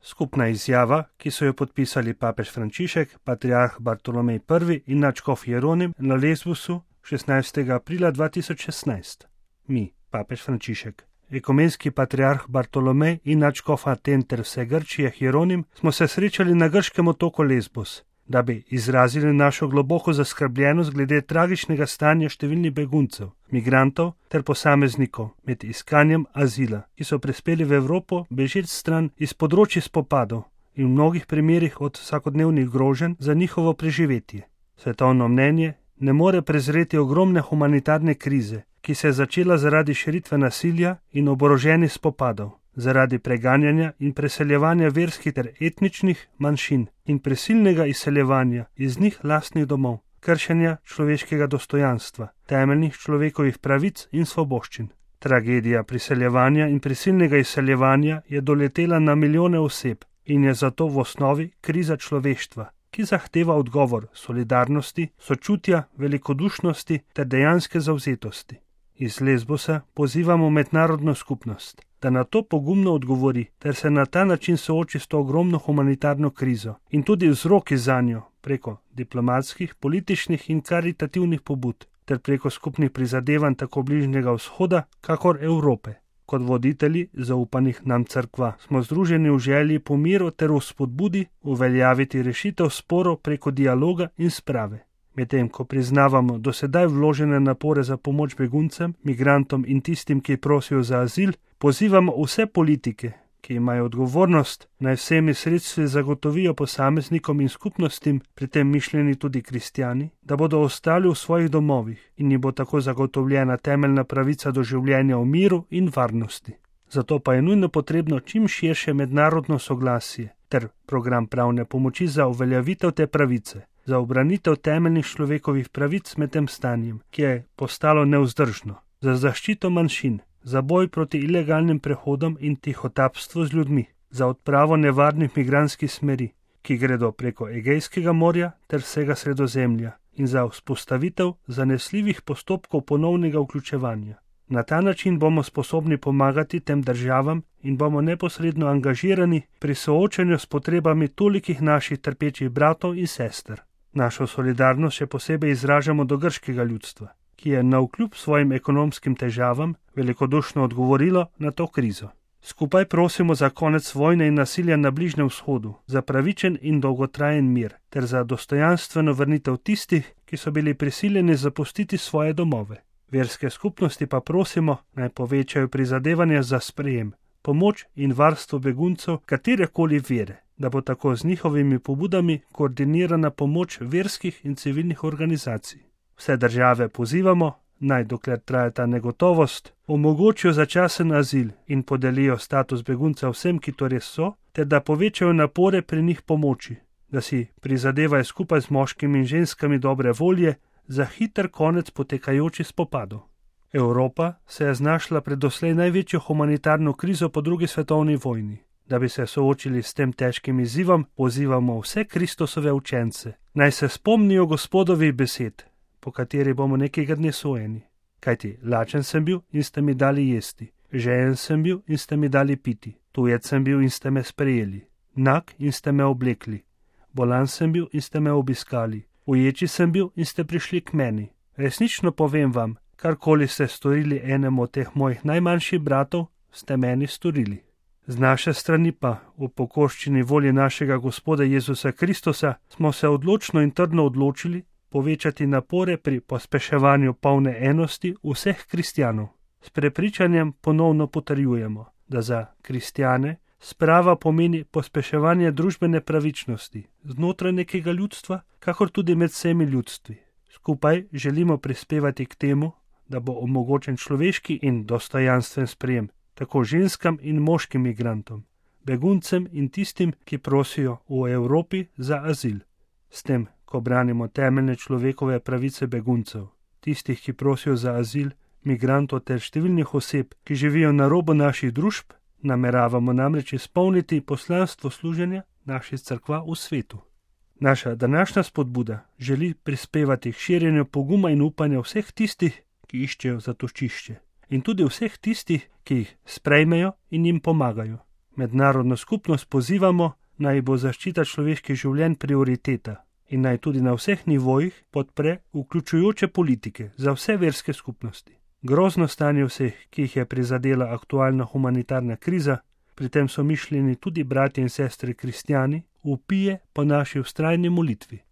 Skupna izjava, ki so jo podpisali papež Frančišek, patriarh Bartolomej I in nadškof Jeronim na Lesbosu 16. aprila 2016. Mi, papež Frančišek, ekumenski patriarh Bartolomej in nadškof Aten ter vse Grčije Jeronim smo se srečali na grškem otoku Lesbos, da bi izrazili našo globoko zaskrbljenost glede tragičnega stanja številnih beguncev, migrantov ter posameznikov med iskanjem azila, ki so prispeli v Evropo bežeč stran iz področji spopadov in v mnogih primerih od vsakodnevnih groženj za njihovo preživetje. Svetovno mnenje ne more prezreti ogromne humanitarne krize, ki se je začela zaradi širitve nasilja in oboroženih spopadov, zaradi preganjanja in preseljevanja verskih ter etničnih manjšin in prisilnega izseljevanja iz njih lastnih domov, kršenja človeškega dostojanstva, temeljnih človekovih pravic in svoboščin. Tragedija priseljevanja in prisilnega izseljevanja je doletela na milijone oseb in je zato v osnovi kriza človeštva, ki zahteva odgovor solidarnosti, sočutja, velikodušnosti ter dejanske zavzetosti. Iz Lesbosa pozivamo mednarodno skupnost, da na to pogumno odgovori ter se na ta način sooči s to ogromno humanitarno krizo in tudi vzroki zanjo preko diplomatskih, političnih in karitativnih pobud ter preko skupnih prizadevanj tako Bližnjega vzhoda, kakor Evrope. Kot voditelji zaupanih nam cerkva smo združeni v želji po miru ter v spodbudi uveljaviti rešitev sporov preko dialoga in sprave. Medtem ko priznavamo dosedaj vložene napore za pomoč beguncem, migrantom in tistim, ki prosijo za azil, pozivamo vse politike, ki imajo odgovornost, naj vsemi sredstvi zagotovijo posameznikom in skupnostim, pri tem mišljeni tudi kristjani, da bodo ostali v svojih domovih in jim bo tako zagotovljena temeljna pravica do življenja v miru in varnosti. Zato pa je nujno potrebno čim širše mednarodno soglasje ter program pravne pomoči za uveljavitev te pravice, za obranitev temeljnih človekovih pravic med tem stanjem, ki je postalo nevzdržno, za zaščito manjšin, za boj proti ilegalnim prehodom in tihotapstvu z ljudmi, za odpravo nevarnih migrantskih smeri, ki gredo preko Egejskega morja ter vsega Sredozemlja, in za vzpostavitev zanesljivih postopkov ponovnega vključevanja. Na ta način bomo sposobni pomagati tem državam in bomo neposredno angažirani pri soočanju s potrebami tolikih naših trpečih bratov in sester. Našo solidarnost še posebej izražamo do grškega ljudstva, ki je navkljub svojim ekonomskim težavam velikodušno odgovorilo na to krizo. Skupaj prosimo za konec vojne in nasilja na Bližnjem vzhodu, za pravičen in dolgotrajen mir, ter za dostojanstveno vrnitev tistih, ki so bili prisiljeni zapustiti svoje domove. Verske skupnosti pa prosimo, naj povečajo prizadevanja za sprejem, pomoč in varstvo beguncev katerekoli vere, da bo tako z njihovimi pobudami koordinirana pomoč verskih in civilnih organizacij. Vse države pozivamo, naj dokler traja ta negotovost, omogočijo začasen azil in podelijo status begunca vsem, ki to res so, ter da povečajo napore pri njih pomoči, da si prizadevajo skupaj z moškimi in ženskami dobre volje za hiter konec potekajočih spopadov. Evropa se je znašla pred doslej največjo humanitarno krizo po drugi svetovni vojni. Da bi se soočili s tem težkim izzivom, pozivamo vse Kristusove učence, naj se spomnijo Gospodovih besed, po kateri bomo nekega dne sojeni. Kajti lačen sem bil in ste mi dali jesti, žejen sem bil in ste mi dali piti, tujec sem bil in ste me sprejeli, nag in ste me oblekli, bolan sem bil in ste me obiskali, uječi sem bil in ste prišli k meni. Resnično povem vam, karkoli ste storili enemu od teh mojih najmanjših bratov, ste meni storili. Z naše strani pa, v pokorščini volje našega Gospoda Jezusa Kristusa, smo se odločno in trdno odločili povečati napore pri pospeševanju polne enosti vseh kristjanov. S prepričanjem ponovno potrjujemo, da za kristjane sprava pomeni pospeševanje družbene pravičnosti znotraj nekega ljudstva, kakor tudi med vsemi ljudstvi. Skupaj želimo prispevati k temu, da bo omogočen človeški in dostojanstven sprejem tako ženskam in moškim migrantom, beguncem in tistim, ki prosijo v Evropi za azil. S tem, ko branimo temeljne človekove pravice beguncev, tistih, ki prosijo za azil, migrantov ter številnih oseb, ki živijo na robu naših družb, nameravamo namreč izpolniti poslanstvo služenja naših cerkva v svetu. Naša današnja spodbuda želi prispevati k širjenju poguma in upanja vseh tistih, ki iščejo zatočišče, in tudi vseh tistih, ki jih sprejmejo in jim pomagajo. Mednarodno skupnost pozivamo, naj bo zaščita človeških življenj prioriteta in naj tudi na vseh nivojih podpre vključujoče politike za vse verske skupnosti. Grozno stanje vseh, ki jih je prizadela aktualna humanitarna kriza, pri tem so mišljeni tudi bratje in sestre kristjani, vpije po naši vztrajni molitvi.